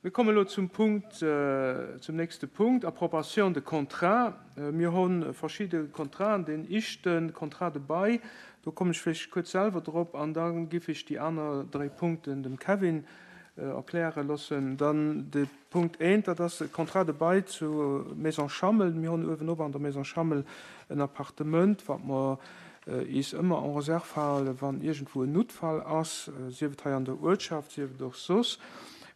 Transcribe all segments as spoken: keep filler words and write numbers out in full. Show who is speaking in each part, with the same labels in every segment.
Speaker 1: Mir kommen elo zum Punkt, zum nächste Punkt, Approbation de contrats. Mir hu verschidde Contraten. Deen éischte Contrat de bail, do kommen ech vläicht kuerz selwer drop an da giff ech déi aner dräi Punkten dem Kevin erkläre loossen. Dann de Punkt eent, dat ass e Contrat de bail zu Maison Schammel. Mir hunn uewenop an der Maison Schammel en Appartement, wat mer is ëmmer en réserve halen, wann iergendwou en Noutfall ass, sief et hei an der Uertschaft, sief et och soss,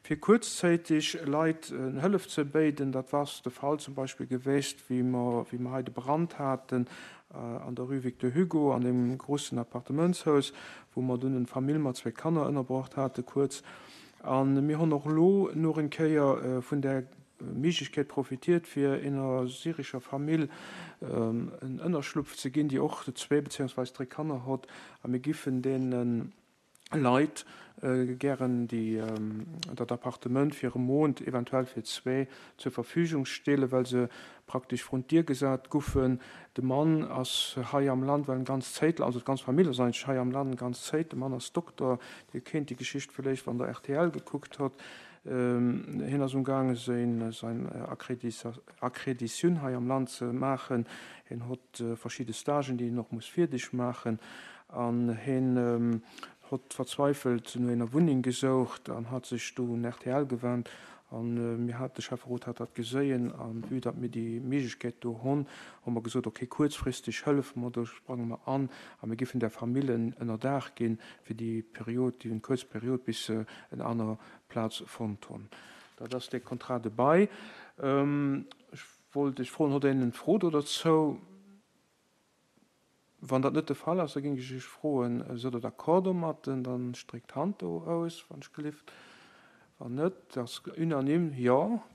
Speaker 1: fir kuerzzäiteg Leit en Hëllef ze béiden. Dat war de Fall zum Beispill geweest, wéi mer, wéi mer hei de Brand haten an der Rue Victor Hugo an deem grussen Appartementshaus, wou mer dunn en Famill mat zwee Kanner ënnerbruecht hate kuerz. A mir hunn och elo nach eng Kéier vun där Méiglechkeet profitiert, fir enger syrescher Famill en Ënnerschlupf ze ginn, déi och zwee beziehungsweise dräi Kanner hott. A mir giffen deene Leit gären déi dat Appartement fir e Mount, eventuell fir zwee, zur Verfügung stellen, well se praktesch vrun d'Dier gesat guffen. De Mann ass hei am Land well eng ganz Zéit, also d'ganz Famill ass eigentlech hei am Land eng ganz Zéit. De Mann ass Dokter, Dir kennt déi Geschicht vläicht, wann Der rtl gekuckt hutt. Hien ass umgaange seng säin Akkreditioun hei am Land ze maachen. Hien hott verschidde Stagen, déi hien och muss fierdeg maachen. An hien hott verzweifelt no enger Wunneng gesoucht an hat sech do un rtl gewennt. An mir hat, de Schäfferot hat dat geséien, an vue datt mir déi Méiglechkeet do honn, hu mer gesot, okay, kuerzfristeg hëllefe mer, do sprange mer an a mir giffen där Famill en Ënnerdaach ginn fir déi Period, déi kuerz Period, bis se en aner Plaz fonnt hunn. Dat ass dee Contrat de bail. Ech wollt Iech froen, hutt Der eng Fro do derzou? Wann dat net de Fall ass, da géing ech Iech froen, Sidd Der d'accord domat? Dann streckt d'Hand do aus, wann ech gelift. Wann net, dat ass unanime, jo.